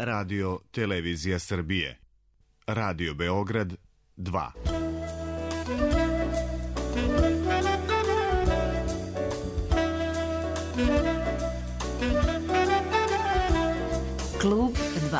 Radio Televizija Srbije. Radio Beograd 2. Klub 2.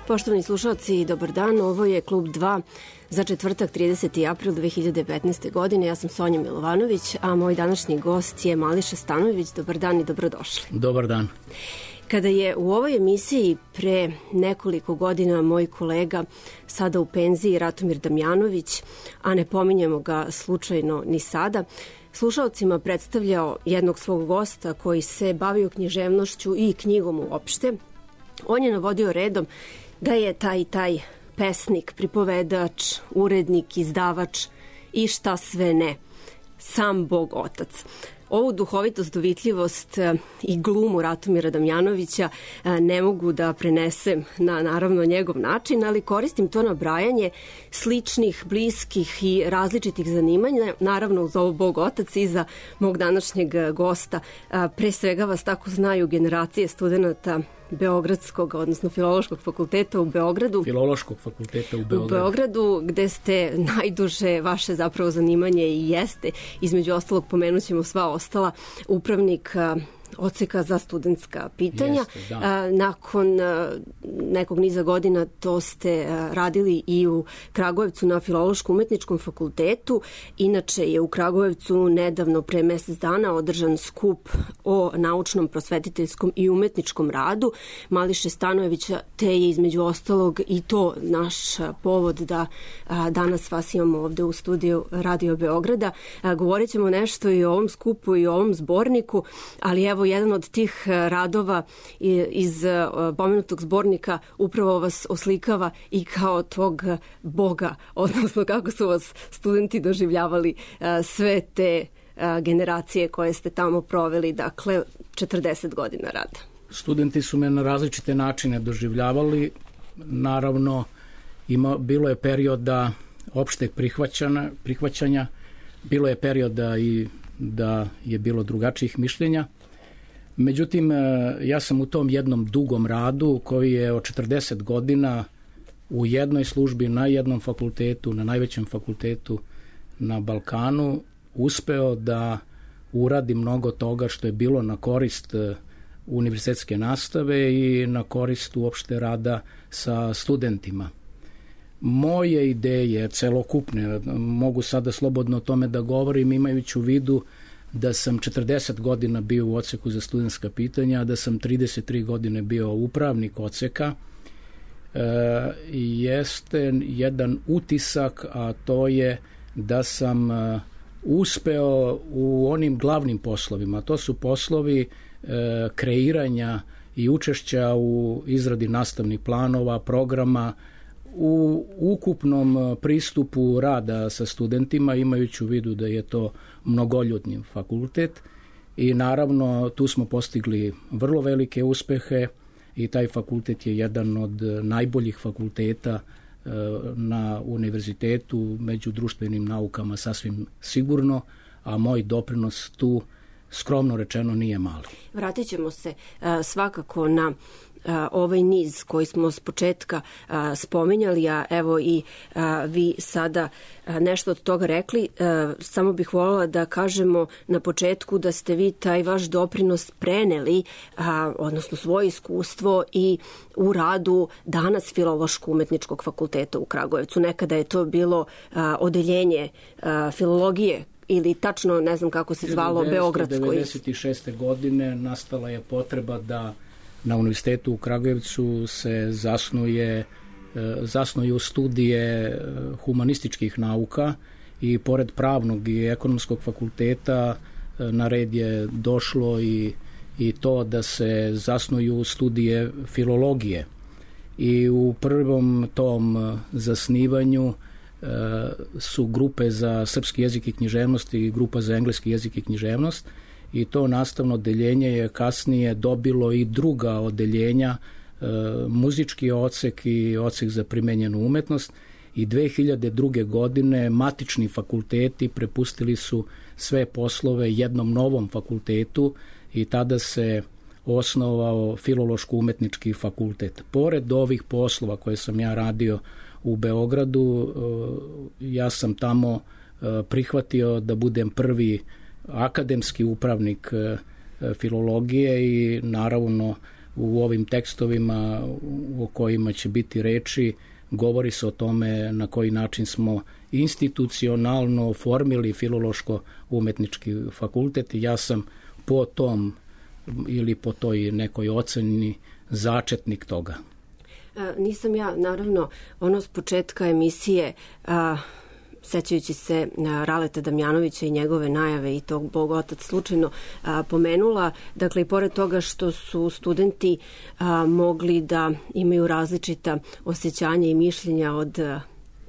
Poštovani slušalci, dobar dan. Ovo je Klub 2 za četvrtak 30. april 2015. godine. Ja sam Sonja Milovanović, a moj današnji gost je Mališa Stanojević. Dobar dan i dobrodošli. Dobar dan. Kada je u ovoj emisiji pre nekoliko godina moj kolega, sada u penziji, Ratomir Damjanović, a ne pominjemo ga slučajno ni sada, slušalcima predstavljao jednog svog gosta koji se bavio književnošću i knjigom uopšte, on je navodio redom da je taj pesnik, pripovedač, urednik, izdavač i šta sve ne, sam Bog Otac. Ovu duhovitost, dovitljivost i glumu Ratomira Damjanovića ne mogu da prenesem na naravno njegov način, ali koristim to nabrajanje sličnih, bliskih i različitih zanimanja, naravno uz ovo Bog Otac i za mog današnjeg gosta. Pre svega vas tako znaju generacije studenta Beogradskog, odnosno Filološkog fakulteta u Beogradu. Filološkog fakulteta u Beogradu. U Beogradu, gde ste najduže, vaše zapravo zanimanje i jeste, između ostalog pomenut ćemo sva ostala, upravnik odseka za studentska pitanja. Jeste, nakon nekog niza godina to ste radili i u Kragujevcu na Filološko-umetničkom fakultetu. Inače je u Kragujevcu nedavno pre mesec dana održan skup o naučnom, prosvetiteljskom i umetničkom radu Mališe Stanojevića, te je između ostalog i to naš povod da danas vas imamo ovde u studiju Radio Beograda. Govorit ćemo nešto i o ovom skupu i o ovom zborniku, ali evo jedan od tih radova iz pomenutog zbornika upravo vas oslikava i kao tog Boga, odnosno kako su vas studenti doživljavali sve te generacije koje ste tamo proveli, dakle 40 godina rada. Studenti su me na različite načine doživljavali. Naravno, bilo je perioda opšteg prihvaćanja, bilo je perioda i da je bilo drugačijih mišljenja. Međutim, ja sam u tom jednom dugom radu koji je od 40 godina u jednoj službi na jednom fakultetu, na najvećem fakultetu na Balkanu, uspeo da uradi mnogo toga što je bilo na korist univerzitetske nastave i na korist uopšte rada sa studentima. Moje ideje celokupne, mogu sada slobodno o tome da govorim imajući u vidu da sam 40 godina bio u odseku za studentska pitanja, da sam 33 godine bio upravnik odseka, jeste jedan utisak, a to je da sam uspeo u onim glavnim poslovima. To su poslovi kreiranja i učešća u izradi nastavnih planova, programa, u ukupnom pristupu rada sa studentima, imajući u vidu da je to mnogoljudni fakultet i naravno tu smo postigli vrlo velike uspehe i taj fakultet je jedan od najboljih fakulteta na univerzitetu, među društvenim naukama sasvim sigurno, a moj doprinos tu skromno rečeno nije mali. Vratit ćemo se svakako na ovaj niz koji smo s početka spominjali, a evo i vi sada nešto od toga rekli. Samo bih voljela da kažemo na početku da ste vi taj vaš doprinos preneli, odnosno svoje iskustvo i u radu danas Filološko-umetničkog fakulteta u Kragujevcu. Nekada je to bilo odeljenje filologije ili tačno ne znam kako se zvalo, Beogradsko. 1996. godine nastala je potreba da na univerzitetu u Kragujevcu se zasnuje zasnuju studije humanističkih nauka i pored pravnog i ekonomskog fakulteta na red je došlo i to da se zasnuju studije filologije. I u prvom tom zasnivanju su grupe za srpski jezik i književnost i grupa za engleski jezik i književnost, i to nastavno odeljenje je kasnije dobilo i druga odeljenja, muzički odsek i odsek za primenjenu umetnost, i 2002. godine matični fakulteti prepustili su sve poslove jednom novom fakultetu i tada se osnovao Filološko-umetnički fakultet. Pored ovih poslova koje sam ja radio u Beogradu, ja sam tamo prihvatio da budem prvi akademski upravnik filologije i naravno u ovim tekstovima o kojima će biti reči govori se o tome na koji način smo institucionalno oformili Filološko-umetnički fakultet i ja sam po tom ili po toj nekoj oceni začetnik toga. Nisam ja, naravno, s početka emisije, sećajući se Raleta Damjanovića i njegove najave i tog Bog otac slučajno pomenula. Dakle, i pored toga što su studenti mogli da imaju različita osjećanja i mišljenja od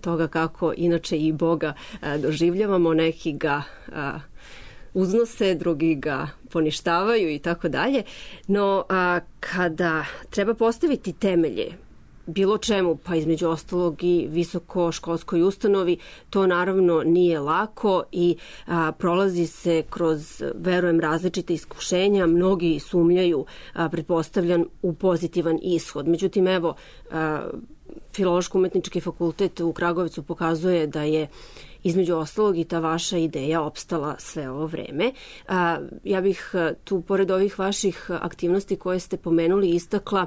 toga kako inače i Boga doživljavamo, neki ga uznose, drugi ga poništavaju i tako dalje. No, kada treba postaviti temelje bilo čemu, pa između ostalog i visokoškolskoj ustanovi, to naravno nije lako i prolazi se kroz, verujem, različite iskušenja. Mnogi sumnjaju, pretpostavljam, u pozitivan ishod. Međutim, evo, Filološko-umetnički fakultet u Kragujevcu pokazuje da je između ostalog i ta vaša ideja opstala sve ovo vreme. Ja bih tu, pored ovih vaših aktivnosti koje ste pomenuli, istakla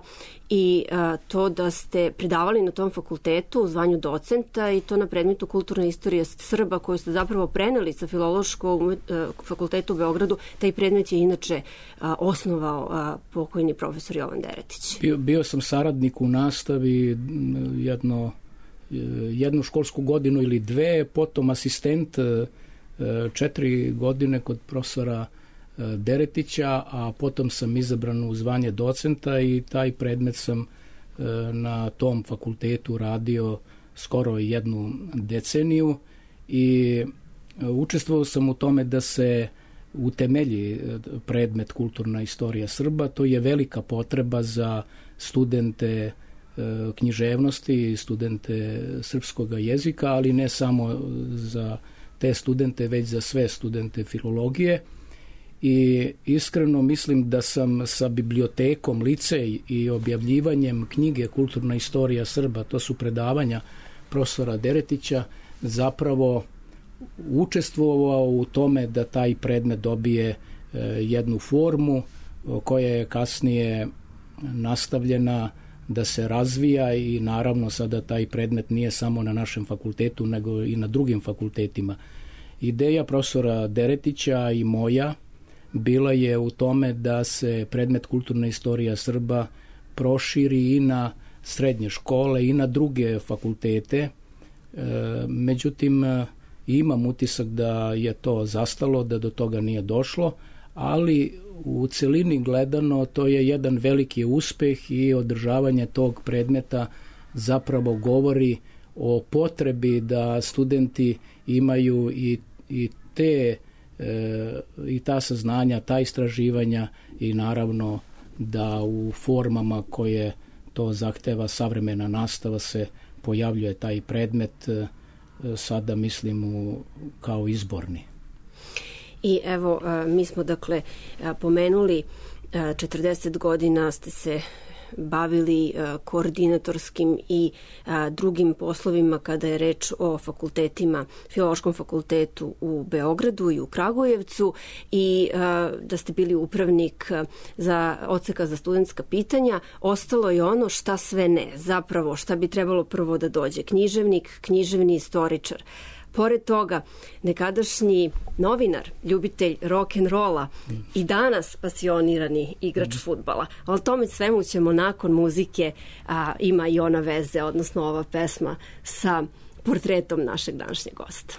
i to da ste predavali na tom fakultetu u zvanju docenta i to na predmetu kulturna istorija Srba koju ste zapravo preneli sa Filološkog fakulteta u Beogradu. Taj predmet je inače osnovao pokojni profesor Jovan Deretić. Bio sam saradnik u nastavi jednu školsku godinu ili dve, potom asistent 4 godine kod profesora Deretića, a potom sam izabran u zvanje docenta i taj predmet sam na tom fakultetu radio skoro 1 deceniju i učestvovao sam u tome da se utemelji predmet kulturna istorija Srba. To je velika potreba za studente književnosti, studente srpskog jezika, ali ne samo za te studente, već za sve studente filologije. I iskreno mislim da sam sa bibliotekom Licej i objavljivanjem knjige Kulturna istorija Srba, to su predavanja profesora Deretića, zapravo učestvovao u tome da taj predmet dobije jednu formu koja je kasnije nastavljena da se razvija i naravno sada taj predmet nije samo na našem fakultetu nego i na drugim fakultetima. Ideja profesora Deretića i moja bila je u tome da se predmet kulturna istorija Srba proširi i na srednje škole i na druge fakultete. Međutim, imam utisak da je to zastalo, da do toga nije došlo, ali u celini gledano to je jedan veliki uspeh i održavanje tog predmeta zapravo govori o potrebi da studenti imaju i ta saznanja, ta istraživanja i naravno da u formama koje to zahteva savremena nastava se pojavljuje taj predmet, sada mislim kao izborni. I evo, mi smo dakle pomenuli 40 godina ste se bavili koordinatorskim i drugim poslovima kada je reč o fakultetima, Filološkom fakultetu u Beogradu i u Kragujevcu i da ste bili upravnik za odseka za studentska pitanja. Ostalo je ono šta sve ne, zapravo šta bi trebalo prvo da dođe. Književnik, književni istoričar. Pored toga, nekadašnji novinar, ljubitelj rock'n'rolla i danas pasionirani igrač fudbala. Ali tome svemu ćemo nakon muzike, ima i ona veze, odnosno ova pesma sa portretom našeg današnjeg gosta.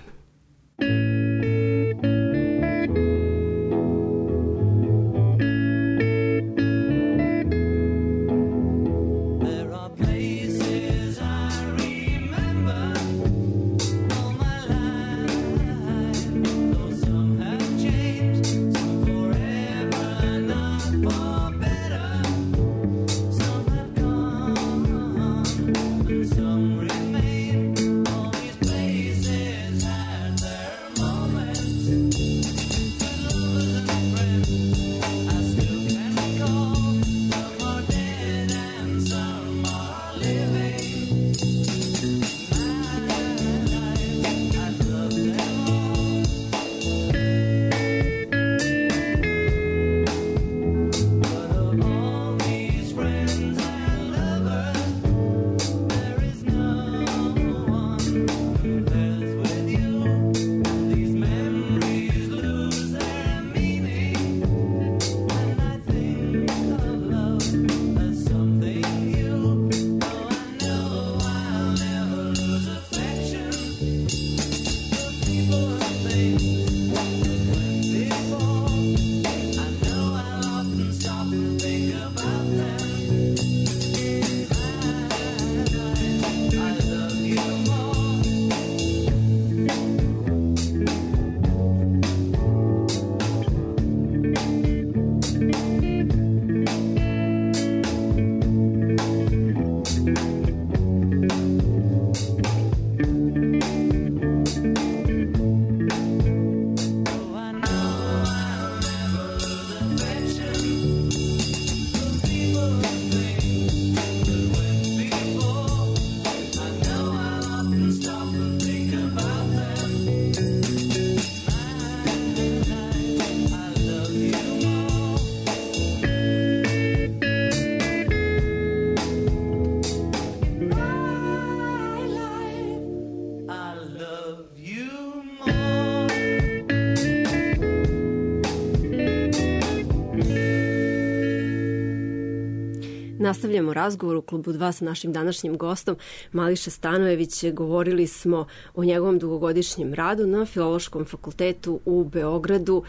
Nastavljamo razgovor u Klubu 2 sa našim današnjim gostom Mališa Stanojević. Govorili smo o njegovom dugogodišnjem radu na Filološkom fakultetu u Beogradu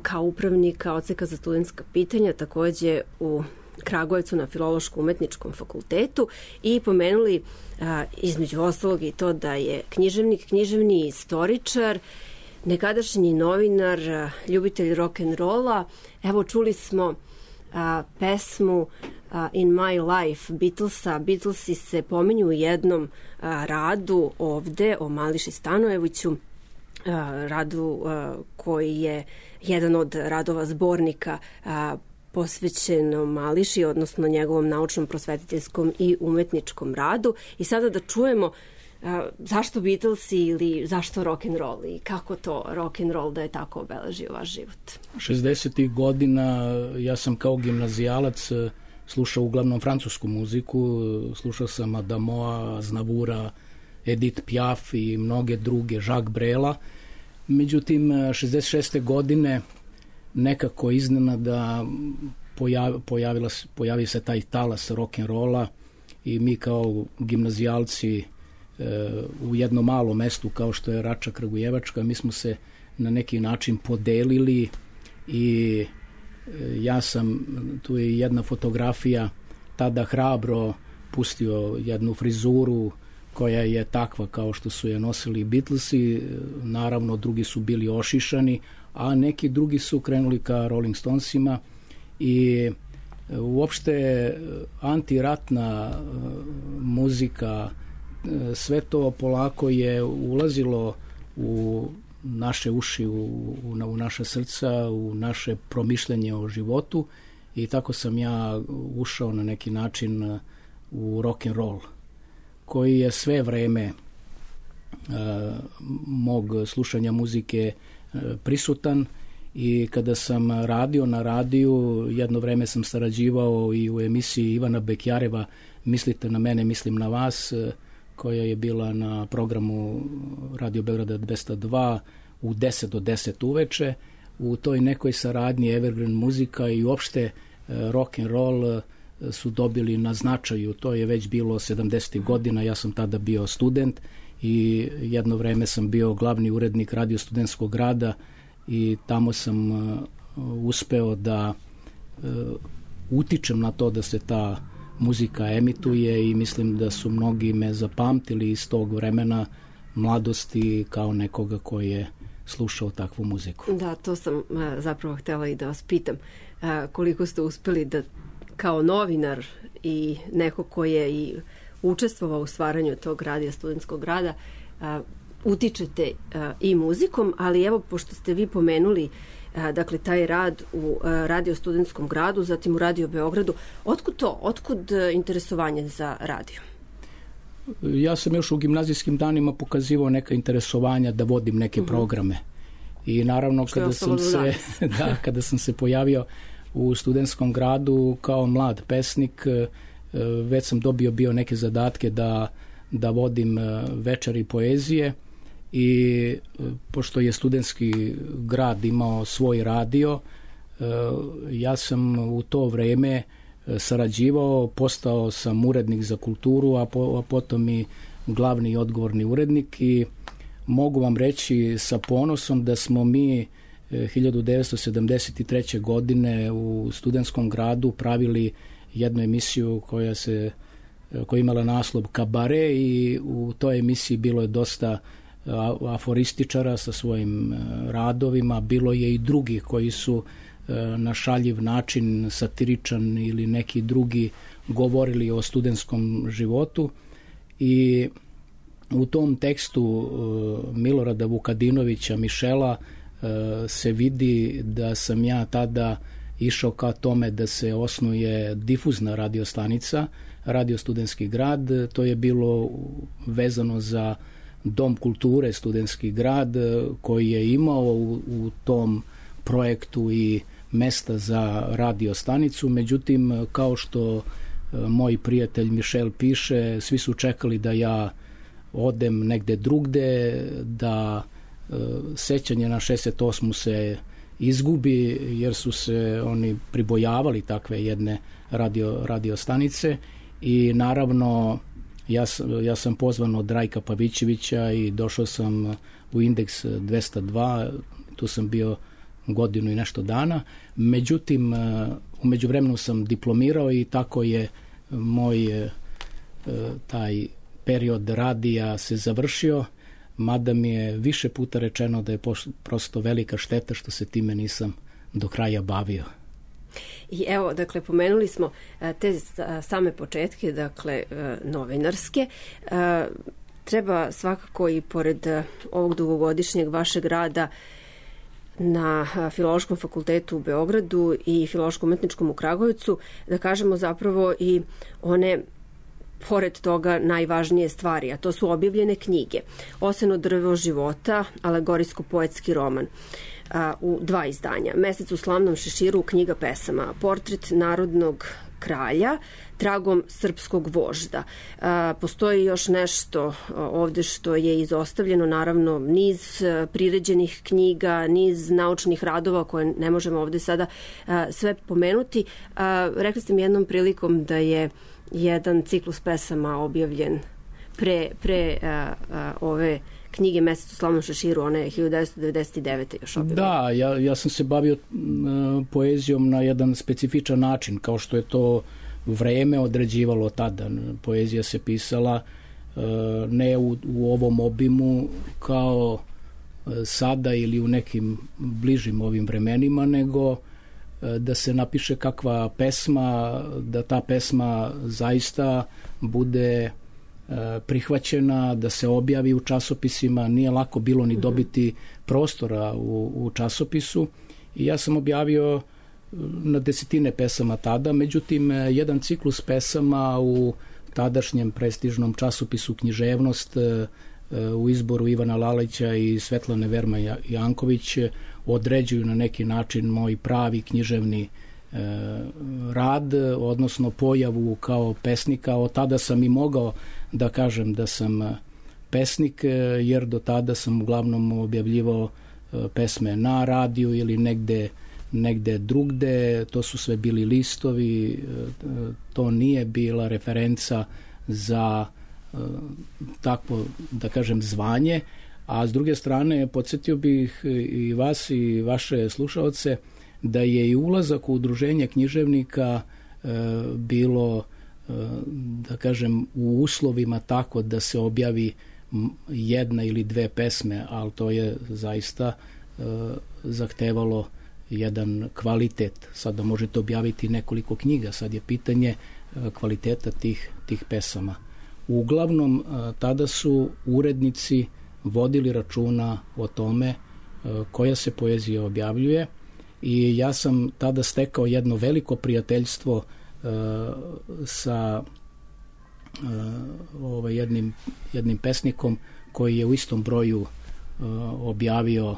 kao upravnika Odseka za studentska pitanja, takođe u Kragujevcu na Filološko-umetničkom fakultetu i pomenuli između ostalog i to da je književnik, književni istoričar, nekadašnji novinar, ljubitelj rock'n'rolla. Evo, čuli smo pesmu In My Life Beatlesa. Beatlesi se pominju u jednom radu ovde o Mališi Stanojeviću, radu koji je jedan od radova zbornika posvećenom Mališi, odnosno njegovom naučnom, prosvetiteljskom i umetničkom radu. I sada da čujemo zašto Beatlesi ili zašto rock'n'roll i kako to rock'n'roll da je tako obeležio vaš život? 60. godina ja sam kao gimnazijalac slušao uglavnom francusku muziku, slušao sam Adamoa, Aznavoura, Edith Piaf i mnoge druge, Jacques Brela. Međutim, 66. godine nekako iznenada pojavi se taj talas rock'n'rolla i mi kao gimnazijalci u jednom malom mestu kao što je Rača Kragujevačka, mi smo se na neki način podelili i ja sam, tu je jedna fotografija, tada hrabro pustio jednu frizuru koja je takva kao što su je nosili Beatlesi, naravno drugi su bili ošišani, a neki drugi su krenuli ka Rolling Stonesima i uopšte antiratna muzika, sve to polako je ulazilo u naše uši, u naše srca, u naše promišljanje o životu i tako sam ja ušao na neki način u rock'n'roll koji je sve vreme mog slušanja muzike prisutan i kada sam radio na radiju, jedno vreme sam sarađivao i u emisiji Ivana Bekjareva Mislite na mene, mislim na vas, koja je bila na programu Radio Beograda 202 u 10 do 10 uveče. U toj nekoj saradnji Evergreen muzika i uopšte rock and roll su dobili na značaju. To je već bilo 70. godina, ja sam tada bio student i jedno vreme sam bio glavni urednik Radio Studentskog grada i tamo sam uspeo da utičem na to da se ta muzika emituje i mislim da su mnogi me zapamtili iz tog vremena mladosti kao nekoga koji je slušao takvu muziku. Da, to sam zapravo htjela i da vas pitam. Koliko ste uspeli da kao novinar i neko koji je i učestvovao u stvaranju tog radija studentskog grada utičete i muzikom, ali evo, pošto ste vi pomenuli dakle taj rad u Radio studentskom gradu, zatim u Radio Beogradu, otkud to? Otkud interesovanje za radio? Ja sam još u gimnazijskim danima pokazivao neka interesovanja da vodim neke programe. I naravno kada sam se pojavio u studentskom gradu kao mlad pesnik, već sam bio neke zadatke da vodim večeri poezije i pošto je studentski grad imao svoj radio, ja sam u to vreme sarađivao, postao sam urednik za kulturu, a potom i glavni i odgovorni urednik i mogu vam reći sa ponosom da smo mi 1973. godine u studentskom gradu pravili jednu emisiju koja je imala naslov Kabare i u toj emisiji bilo je dosta aforističara sa svojim radovima, bilo je i drugi koji su na šaljiv način, satiričan ili neki drugi govorili o studentskom životu i u tom tekstu Milorada Vukadinovića Mišela se vidi da sam ja tada išao ka tome da se osnuje difuzna radiostanica, Radio Studentski grad. To je bilo vezano za Dom kulture Studentski grad koji je imao u tom projektu i mesta za radiostanicu. Međutim, kao što moj prijatelj Mišel piše, svi su čekali da ja odem negde drugde, da sećanje na 68. se izgubi jer su se oni pribojavali takve jedne radiostanice i naravno ja sam pozvan od Rajka Pavićevića i došao sam u Indeks 202, tu sam bio godinu i nešto dana, međutim u međuvremenu sam diplomirao i tako je moj taj period radija se završio, mada mi je više puta rečeno da je prosto velika šteta što se time nisam do kraja bavio. I evo, dakle, pomenuli smo te same početke, dakle, novinarske. Treba svakako i pored ovog dugogodišnjeg vašeg rada na Filološkom fakultetu u Beogradu i Filološkom umetničkom u Kragujevcu, da kažemo zapravo i one pored toga najvažnije stvari, a to su objavljene knjige. Oseno drvo života, alegorijsko-poetski roman u 2 izdanja. Mesec u slavnom šeširu, knjiga pesama. Portret narodnog kralja, tragom srpskog vožda. Postoji još nešto ovde što je izostavljeno, naravno niz priređenih knjiga, niz naučnih radova koje ne možemo ovde sada sve pomenuti. Rekli ste mi jednom prilikom da je jedan ciklus pesama objavljen pre ove knjige Mesec u slavnom šeširu, one je 1999. još objavljena. Da, ja sam se bavio poezijom na jedan specifičan način, kao što je to vreme određivalo tada. Poezija se pisala ne u ovom obimu kao sada ili u nekim bližim ovim vremenima, nego da se napiše kakva pesma, da ta pesma zaista bude prihvaćena, da se objavi u časopisima. Nije lako bilo ni dobiti prostora u časopisu i ja sam objavio na desetine pesama tada, međutim jedan ciklus pesama u tadašnjem prestižnom časopisu Književnost u izboru Ivana Lalića i Svetlane Verma Janković određuju na neki način moj pravi književni rad, odnosno pojavu kao pesnika. Od tada sam i mogao da kažem da sam pesnik, jer do tada sam uglavnom objavljivao pesme na radiju ili negde drugde. To su sve bili listovi, to nije bila referenca za takvo, da kažem, zvanje. A s druge strane, podsjetio bih i vas i vaše slušaoce da je i ulazak u udruženje književnika bilo, da kažem, u uslovima tako da se objavi jedna ili dve pesme, ali to je zaista zahtevalo jedan kvalitet. Sada možete objaviti nekoliko knjiga, sad je pitanje kvaliteta tih pesama. Uglavnom, tada su urednici vodili računa o tome koja se poezija objavljuje i ja sam tada stekao jedno veliko prijateljstvo sa jednim pesnikom koji je u istom broju objavio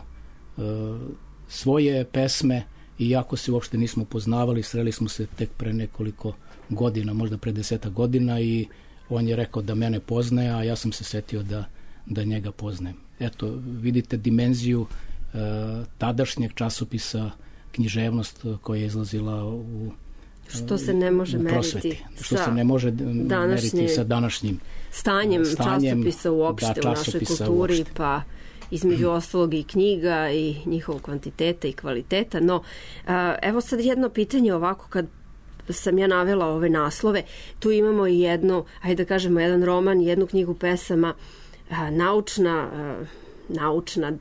svoje pesme, iako se uopšte nismo poznavali, sreli smo se tek pre nekoliko godina, možda pre 10 godina, i on je rekao da mene poznaje, a ja sam se setio da njega poznajem. Eto, vidite dimenziju tadašnjeg časopisa Književnost koja je izlazila u što se ne može meriti sa današnjim stanjem časopisa uopšte u našoj kulturi, uopšte. Pa između ostalog i knjiga i njihovog kvantiteta i kvaliteta. No, evo sad jedno pitanje ovako, kad sam ja navela ove naslove, tu imamo i jedno, ajde da kažemo, jedan roman, jednu knjigu pesama, naučna,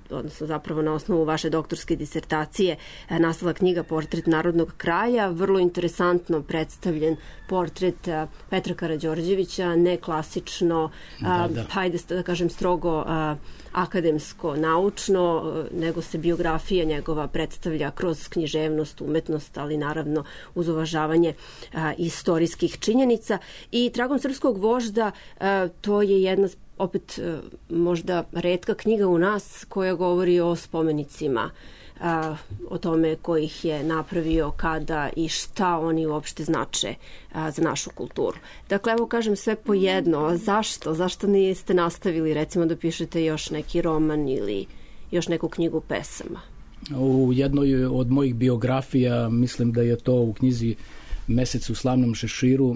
odnosno zapravo na osnovu vaše doktorske disertacije nastala knjiga Portret narodnog kralja, vrlo interesantno predstavljen portret Petra Karađorđevića, ne klasično, hajde da kažem strogo akademsko, naučno, nego se biografija njegova predstavlja kroz književnost, umetnost, ali naravno uz uvažavanje istorijskih činjenica. I Tragom srpskog vožda, to je jedna opet možda retka knjiga u nas koja govori o spomenicima, o tome ko ih je napravio, kada i šta oni uopšte znače za našu kulturu. Dakle, evo kažem sve po jedno. Zašto niste nastavili recimo da pišete još neki roman ili još neku knjigu pesama? U jednoj od mojih biografija, mislim da je to u knjizi Mesec u slavnom šeširu,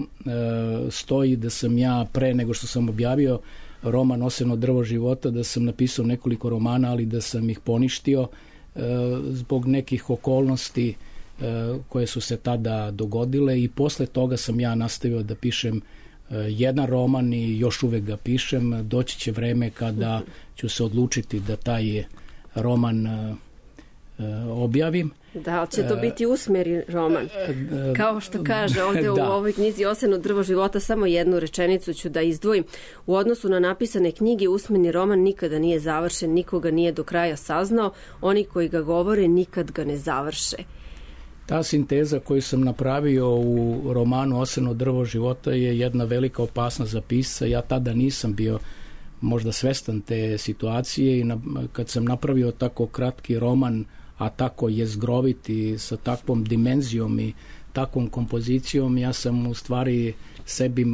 stoji da sam ja pre nego što sam objavio roman Oseno drvo života, da sam napisao nekoliko romana, ali da sam ih poništio zbog nekih okolnosti koje su se tada dogodile, i posle toga sam ja nastavio da pišem jedan roman i još uvek ga pišem. Doći će vreme kada ću se odlučiti da taj roman objavim. Da, će to biti usmeri roman. Kao što kaže ovde u ovoj knjizi Oseno drvo života, samo jednu rečenicu ću da izdvojim. U odnosu na napisane knjige, usmeni roman nikada nije završen, nikoga nije do kraja saznao, oni koji ga govore nikad ga ne završe. Ta sinteza koju sam napravio u romanu Oseno drvo života je jedna velika opasnost za pisca. Ja tada nisam bio možda svestan te situacije i kad sam napravio tako kratki roman, a tako jezgrovit i sa takvom dimenzijom i takvom kompozicijom, ja sam u stvari sebi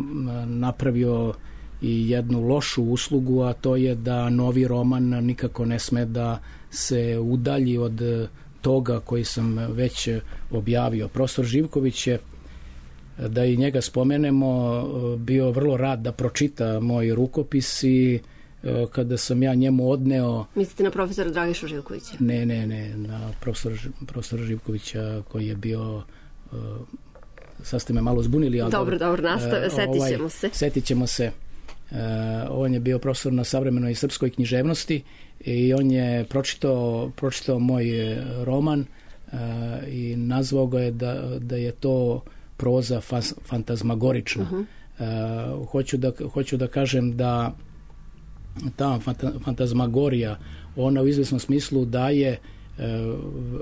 napravio i jednu lošu uslugu, a to je da novi roman nikako ne sme da se udalji od toga koji sam već objavio. Profesor Živković je, da i njega spomenemo, bio vrlo rad da pročita moj rukopis, i kada sam ja njemu odneo... Mislite na profesora Dragišu Živkovića? Ne, na profesora Živkovića koji je bio... Sad ste me malo zbunili, ali... Dobro, nastave, setit ćemo se. On je bio profesor na savremenoj srpskoj književnosti i on je pročitao moj roman i nazvao ga je da je to proza fantazmagorična. Hoću da kažem da ta fantazmagorija, ona u izvesnom smislu daje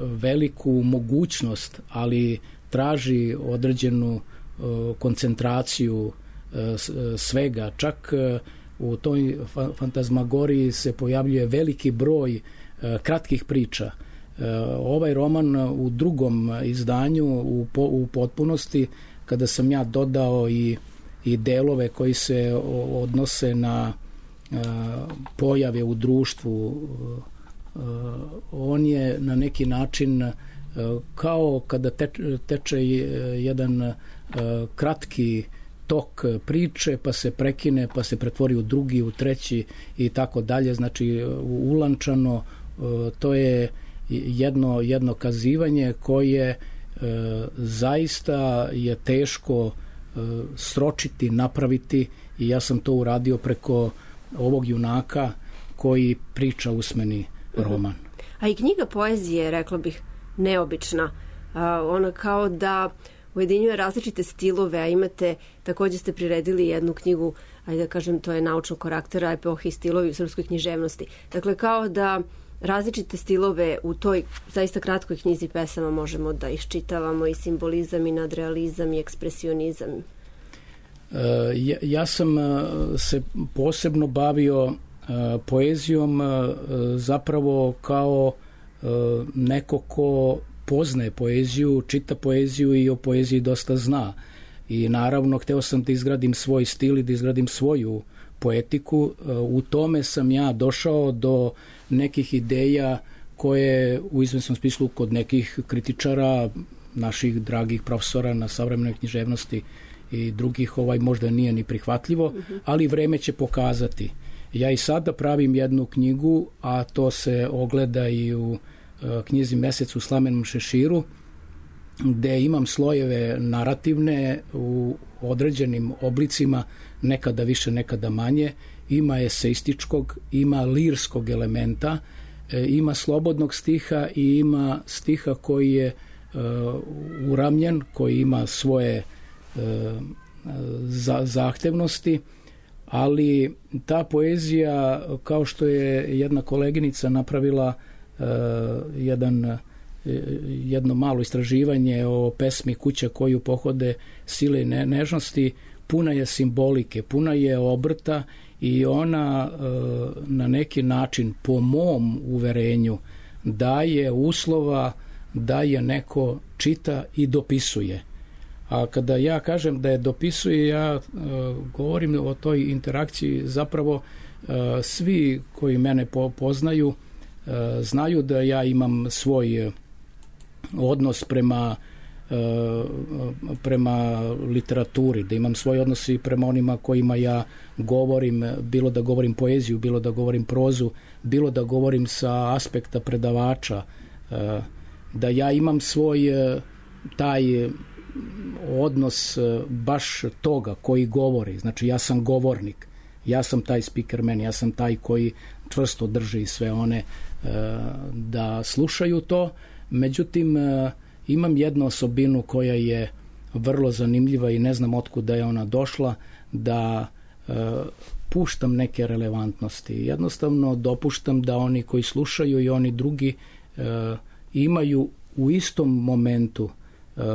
veliku mogućnost, ali traži određenu koncentraciju svega. Čak u toj fantazmagoriji se pojavljuje veliki broj kratkih priča. Ovaj roman u drugom izdanju u potpunosti, kada sam ja dodao i delove koji se odnose na pojave u društvu. On je na neki način kao kada teče jedan kratki tok priče, pa se prekine, pa se pretvori u drugi, u treći i tako dalje. Znači, ulančano, to je jedno kazivanje koje zaista je teško sročiti, napraviti, i ja sam to uradio preko ovog junaka koji priča usmeni roman. A i knjiga poezije, rekla bih, neobična. Ona kao da ujedinjuje različite stilove, a imate, takođe ste priredili jednu knjigu, ajde da kažem, to je naučnog karaktera, epohe i stilovi u srpskoj književnosti. Dakle, kao da različite stilove u toj zaista kratkoj knjizi pesama možemo da iščitavamo, i simbolizam, i nadrealizam, i ekspresionizam. Ja sam se posebno bavio poezijom zapravo kao neko ko poznaje poeziju, čita poeziju i o poeziji dosta zna. I naravno, hteo sam da izgradim svoj stil i da izgradim svoju poetiku. U tome sam ja došao do nekih ideja koje u izvesnom smislu kod nekih kritičara, naših dragih profesora na savremenoj književnosti i drugih možda nije ni prihvatljivo, ali vreme će pokazati. Ja i sada pravim jednu knjigu, a to se ogleda i u knjizi Mesec u slamenom šeširu, gde imam slojeve narativne u određenim oblicima, nekada više, nekada manje. Ima eseističkog, ima lirskog elementa, ima slobodnog stiha i ima stiha koji je uramljen, koji ima svoje zahtevnosti, ali ta poezija, kao što je jedna koleginica napravila jedno malo istraživanje o pesmi Kuća koju pohode sile i nežnosti, puna je simbolike, puna je obrta i ona na neki način, po mom uverenju, daje uslova da je neko čita i dopisuje. A kada ja kažem da je dopisuje, ja govorim o toj interakciji. Zapravo svi koji mene poznaju znaju da ja imam svoj odnos prema literaturi, da imam svoj odnos i prema onima kojima ja govorim, bilo da govorim poeziju, bilo da govorim prozu, bilo da govorim sa aspekta predavača, da ja imam svoj taj odnos baš toga koji govori. Znači, ja sam govornik, ja sam taj speakerman, ja sam taj koji čvrsto drži sve one da slušaju to. Međutim, imam jednu osobinu koja je vrlo zanimljiva i ne znam otkuda je ona došla, da puštam neke relevantnosti. Jednostavno dopuštam da oni koji slušaju i oni drugi imaju u istom momentu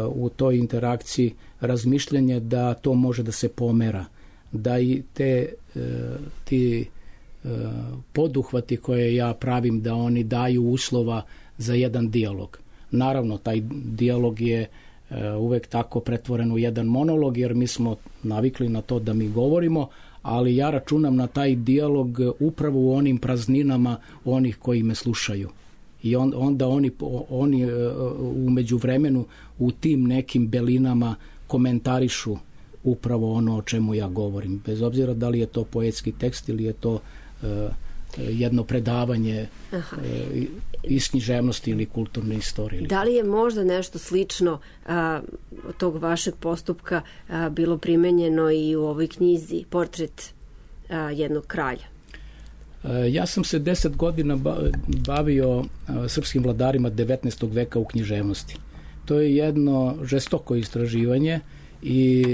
u toj interakciji razmišljanje da to može da se pomera, da i ti poduhvati koje ja pravim, da oni daju uslova za jedan dijalog. Naravno, taj dijalog je uvek tako pretvoren u jedan monolog, jer mi smo navikli na to da mi govorimo, ali ja računam na taj dijalog upravo u onim prazninama onih koji me slušaju. I onda oni u međuvremenu u tim nekim belinama komentarišu upravo ono o čemu ja govorim. Bez obzira da li je to poetski tekst ili je to jedno predavanje iz književnosti ili kulturne istorije. Da li je možda nešto slično od tog vašeg postupka bilo primenjeno i u ovoj knjizi Portret jednog kralja? Ja sam se 10 godina bavio srpskim vladarima 19. veka u književnosti. To je jedno žestoko istraživanje i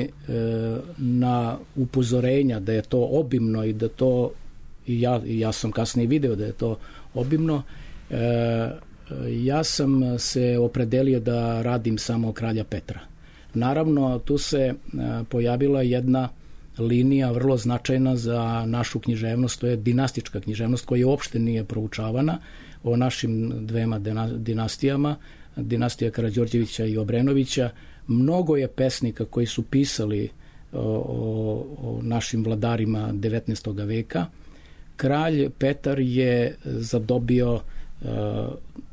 na upozorenja da je to obimno i da to, ja sam kasnije video da je to obimno, ja sam se opredelio da radim samo kralja Petra. Naravno, tu se pojavila jedna linija vrlo značajna za našu književnost, to je dinastička književnost koja uopšte nije proučavana o našim dvema dinastijama, dinastija Karađorđevića i Obrenovića. Mnogo je pesnika koji su pisali o našim vladarima 19. veka. kralj Petar je zadobio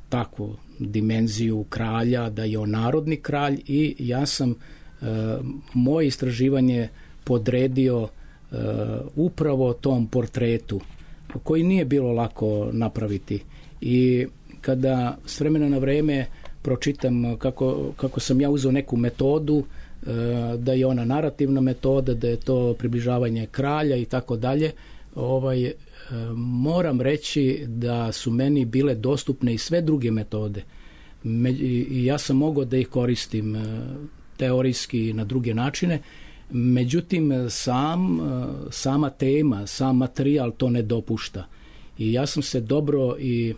takvu dimenziju kralja, da je on narodni kralj, i ja sam moje istraživanje podredio upravo tom portretu, koji nije bilo lako napraviti. I kada s vremena na vreme pročitam kako sam ja uzeo neku metodu, da je ona narativna metoda, da je to približavanje kralja i tako dalje, moram reći da su meni bile dostupne i sve druge metode. I ja sam mogao da ih koristim teorijski na druge načine, međutim sama tema, sam materijal to ne dopušta. I ja sam se dobro i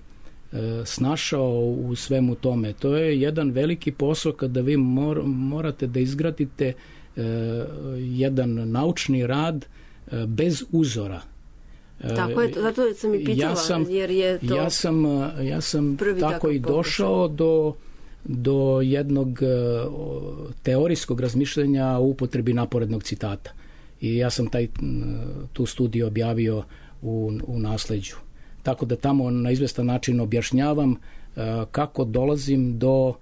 snašao u svemu tome. To je jedan veliki posao kada vi morate da izgradite jedan naučni rad bez uzora. Tako je, zato sam i pitala, jer je to ja sam tako i došao do jednog teorijskog razmišljanja o upotrebi naporednog citata. I ja sam tu studiju objavio u nasleđu. Tako da tamo na izvestan način objašnjavam kako dolazim do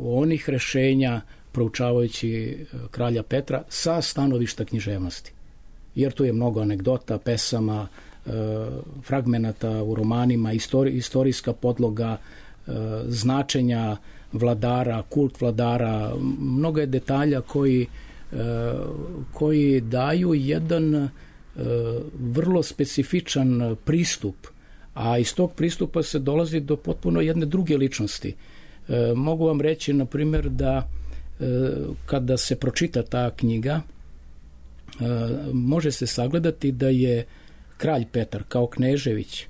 onih rešenja proučavajući kralja Petra sa stanovišta književnosti. Jer tu je mnogo anegdota, pesama, fragmenata u romanima, istorijska podloga, značenja vladara, kult vladara, mnogo je detalja koji daju jedan vrlo specifičan pristup, a iz tog pristupa se dolazi do potpuno jedne druge ličnosti. Mogu vam reći, na primjer, da kada se pročita ta knjiga, može se sagledati da je kralj Petar kao Knežević,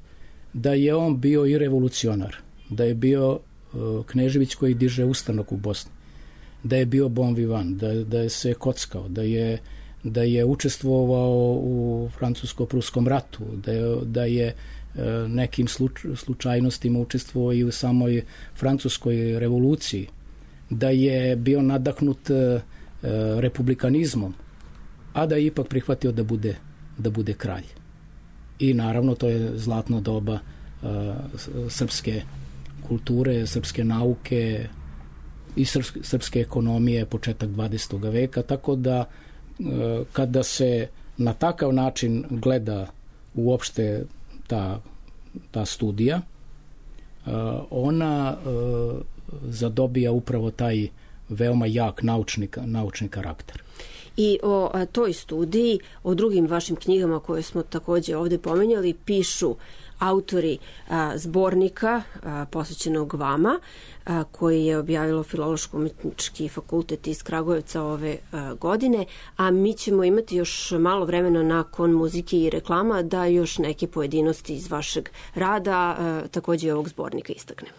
da je on bio i revolucionar, da je bio Knežević koji diže ustanak u Bosni, da je bio bon vivant, da je se kockao, da je učestvovao u francusko-pruskom ratu, da je nekim slučajnostima učestvovao i u samoj francuskoj revoluciji, da je bio nadahnut republikanizmom, a da je ipak prihvatio da bude kralj. I naravno to je zlatno doba srpske kulture, srpske nauke i srpske ekonomije, početak 20. veka, tako da kada se na takav način gleda uopšte ta studija, ona zadobija upravo taj veoma jak naučni karakter. I o toj studiji, o drugim vašim knjigama koje smo također ovdje pomenjali, pišu autori zbornika posvećenog vama, koji je objavilo Filološko-umetnički fakultet iz Kragujevca ove godine, a mi ćemo imati još malo vremena nakon muzike i reklama da još neke pojedinosti iz vašeg rada, također i ovog zbornika, istaknemo.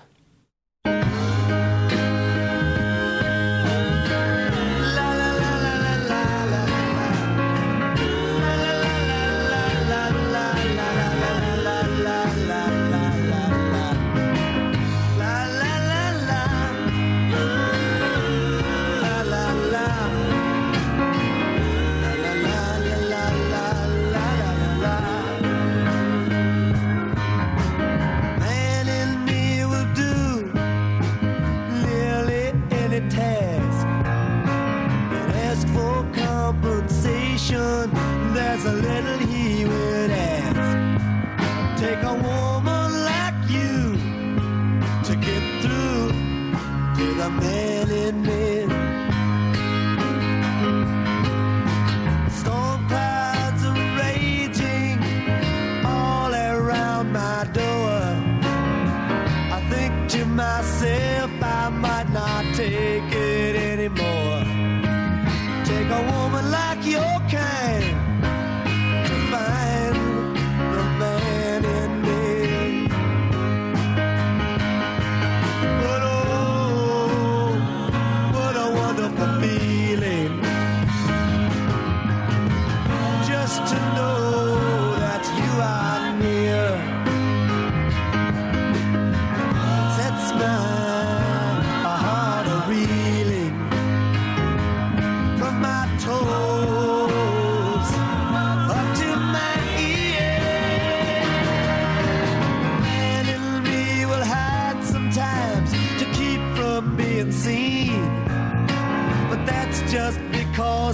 There's a little he would ask. Take a woman like you to get through to the man in me. Storm clouds are raging all around my door. I think to myself I might not take it anymore. Take a woman like your kind to find the man in me. But oh,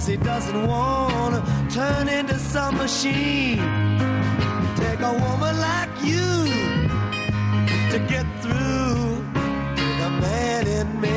'cause he doesn't want to turn into some machine. Take a woman like you to get through the man in me.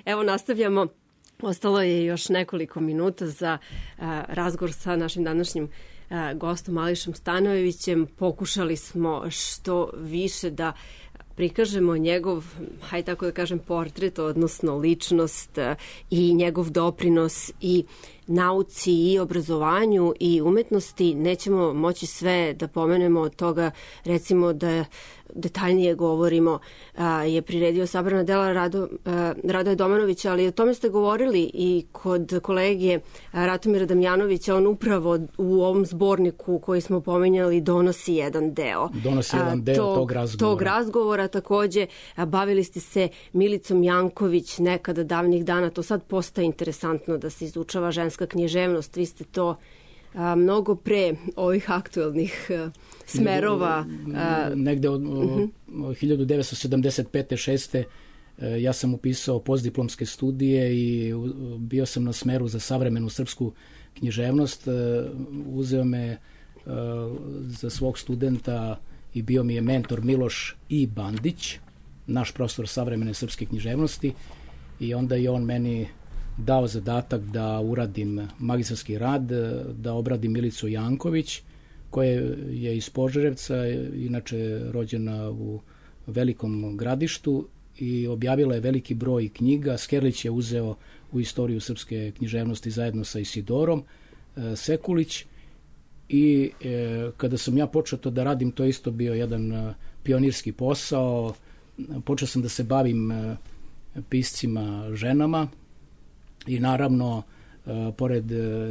Evo nastavljamo. Ostalo je još nekoliko minuta za razgovor sa našim današnjim gostom Ališom Stanojevićem. Pokušali smo što više da prikažemo njegov, hajde tako da kažem, portret, odnosno ličnost i njegov doprinos i nauci i obrazovanju i umetnosti. Nećemo moći sve da pomenemo od toga, recimo da detaljnije govorimo, je priredio sabrana dela Radoja Domanovića, ali o tome ste govorili i kod kolege Ratomira Damjanovića. On upravo u ovom zborniku koji smo pominjali donosi jedan deo. Donosi jedan deo tog razgovora. Takođe, bavili ste se Milicom Janković nekada davnih dana. To sad postaje interesantno da se izučava ženska književnost. Vi ste to mnogo pre ovih aktuelnih smerova. Negde od 1975. 6. ja sam upisao postdiplomske studije i bio sam na smeru za savremenu srpsku književnost. Uzeo me za svog studenta i bio mi je mentor Miloš I. Bandić, naš profesor savremene srpske književnosti, i onda je on meni dao zadatak da uradim magistarski rad, da obradim Milicu Janković, koja je iz Požarevca, inače rođena u Velikom Gradištu, i objavila je veliki broj knjiga. Skerlić je uzeo u istoriju srpske književnosti zajedno sa Isidorom Sekulić, i kada sam ja počeo to da radim, to isto bio jedan pionirski posao. Počeo sam da se bavim piscima ženama i naravno, pored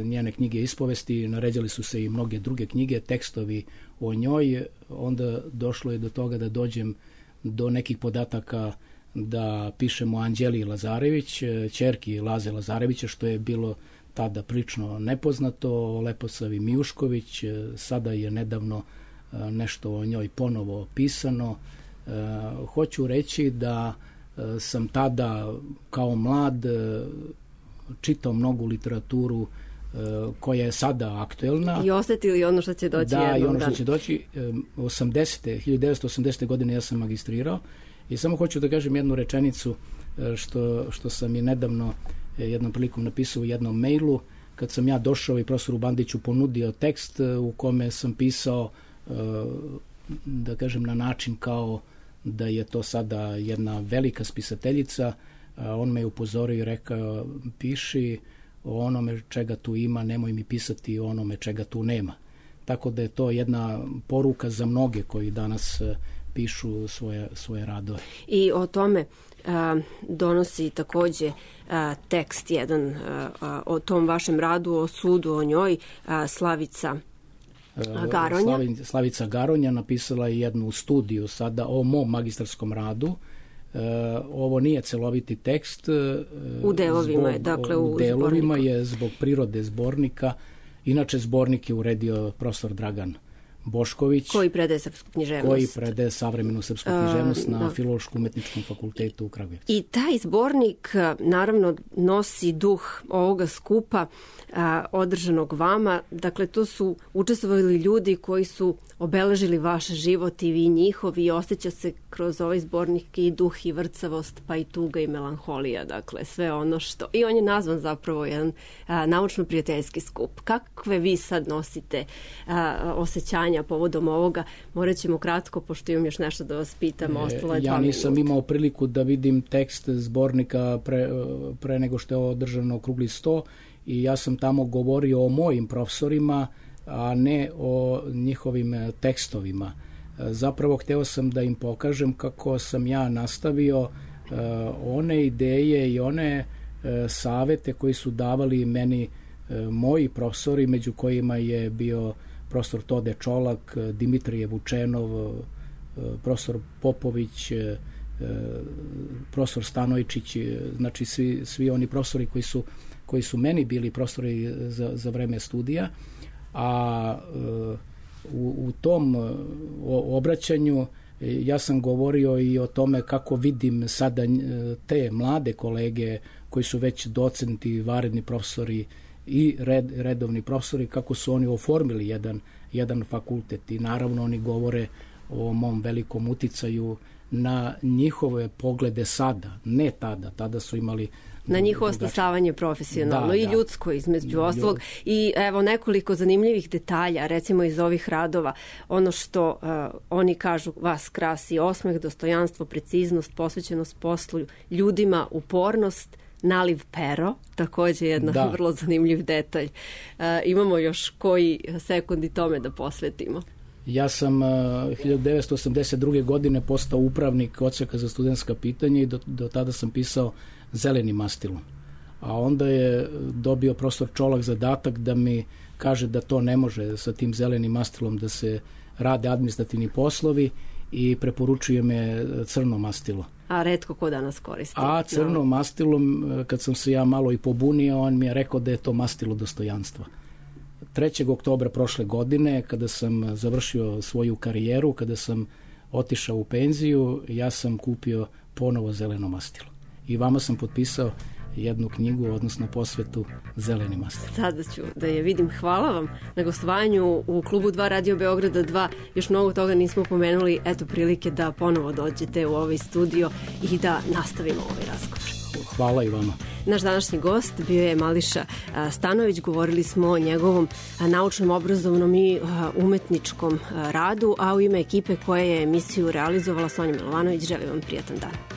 njene knjige ispovesti, naređali su se i mnoge druge knjige, tekstovi o njoj. Onda došlo je do toga da dođem do nekih podataka da pišemo Anđeli Lazarević, ćerki Laze Lazarevića, što je bilo tada prilično nepoznato, Leposavi Mijušković. Sada je nedavno nešto o njoj ponovo pisano. Hoću reći da sam tada kao mlad čitao mnogu literaturu koja je sada aktuelna. I osetili ono što će doći jednog dana. Da, i ono što će doći. 1980. godine ja sam magistrirao i samo hoću da kažem jednu rečenicu što sam je nedavno jednom prilikom napisao u jednom mailu. Kad sam ja došao i profesoru Bandiću ponudio tekst u kome sam pisao, da kažem, na način kao da je to sada jedna velika spisateljica, on me je upozorio i rekao: piši o onome čega tu ima, nemoj mi pisati o onome čega tu nema. Tako da je to jedna poruka za mnoge koji danas pišu svoje radove. I o tome donosi takođe tekst jedan o tom vašem radu, o sudu o njoj, Slavica Garonja. Slavica Garonja napisala je jednu studiju sada o mom magistarskom radu. Ovo nije celoviti tekst. U delovima je, dakle u delovima je zbog prirode zbornika. Inače, zbornik je uredio profesor Dragan Bošković, koji predaje srpsku književnost. Koji predaje savremenu srpsku književnost na Filološko-umetničkom fakultetu u Kragujevcu. I taj zbornik naravno nosi duh ovoga skupa održanog vama. Dakle, to su učestvovali ljudi koji su obeležili vaš život i vi njihov, i osjeća se kroz ovaj zbornik i duh i vrcavost, pa i tuga i melanholija. Dakle, sve ono što... I on je nazvan zapravo jedan naučno-prijateljski skup. Kakve vi sad nosite osjećanja povodom ovoga? Morat ćemo kratko, pošto imam još nešto da vas pitam. Ostalo je 2 Ja nisam minuta. imao priliku da vidim tekst zbornika pre nego što je održano okrugli sto, i ja sam tamo govorio o mojim profesorima a ne o njihovim tekstovima. Zapravo hteo sam da im pokažem kako sam ja nastavio one ideje i one savete koji su davali meni moji profesori, među kojima je bio profesor Tode Čolak, Dimitrije Vučenov, profesor Popović, profesor Stanojčić, znači svi oni profesori koji su meni bili profesori za vreme studija, a u tom obraćanju ja sam govorio i o tome kako vidim sada te mlade kolege koji su već docenti, vanredni profesori i redovni profesori, kako su oni oformili jedan fakultet i naravno oni govore o mom velikom uticaju na njihove poglede sada, ne tada su imali na njihovo stasavanje profesionalno i ljudsko između ostalog. I evo nekoliko zanimljivih detalja, recimo iz ovih radova. Ono što oni kažu, vas krasi osmeh, dostojanstvo, preciznost, posvećenost poslu, ljudima, upornost, naliv pero, takođe jedna vrlo zanimljiv detalj. Imamo još koji sekundi tome da posvetimo? Ja sam 1982. godine postao upravnik odseka za studentska pitanja i do tada sam pisao zelenim mastilom. A onda je dobio profesor Čolak zadatak da mi kaže da to ne može sa tim zelenim mastilom da se rade administrativni poslovi i preporučuje me crno mastilo. A retko ko danas koristi. A crno mastilom, kad sam se ja malo i pobunio, on mi je rekao da je to mastilo dostojanstva. 3. oktobra prošle godine, kada sam završio svoju karijeru, kada sam otišao u penziju, ja sam kupio ponovo zeleno mastilo. I vama sam potpisao jednu knjigu, odnosno posvetu zeleni mastil. Sada ću da je vidim. Hvala vam na gostovanju u klubu 2 Radio Beograda 2. Još mnogo toga nismo pomenuli. Eto prilike da ponovo dođete u ovaj studio i da nastavimo ovaj razgovor. Hvala i vama. Naš današnji gost bio je Mališa Stanojević. Govorili smo o njegovom naučnom, obrazovnom i umetničkom radu, a u ime ekipe koja je emisiju realizovala Sonja Milovanović, želim vam prijatan dan.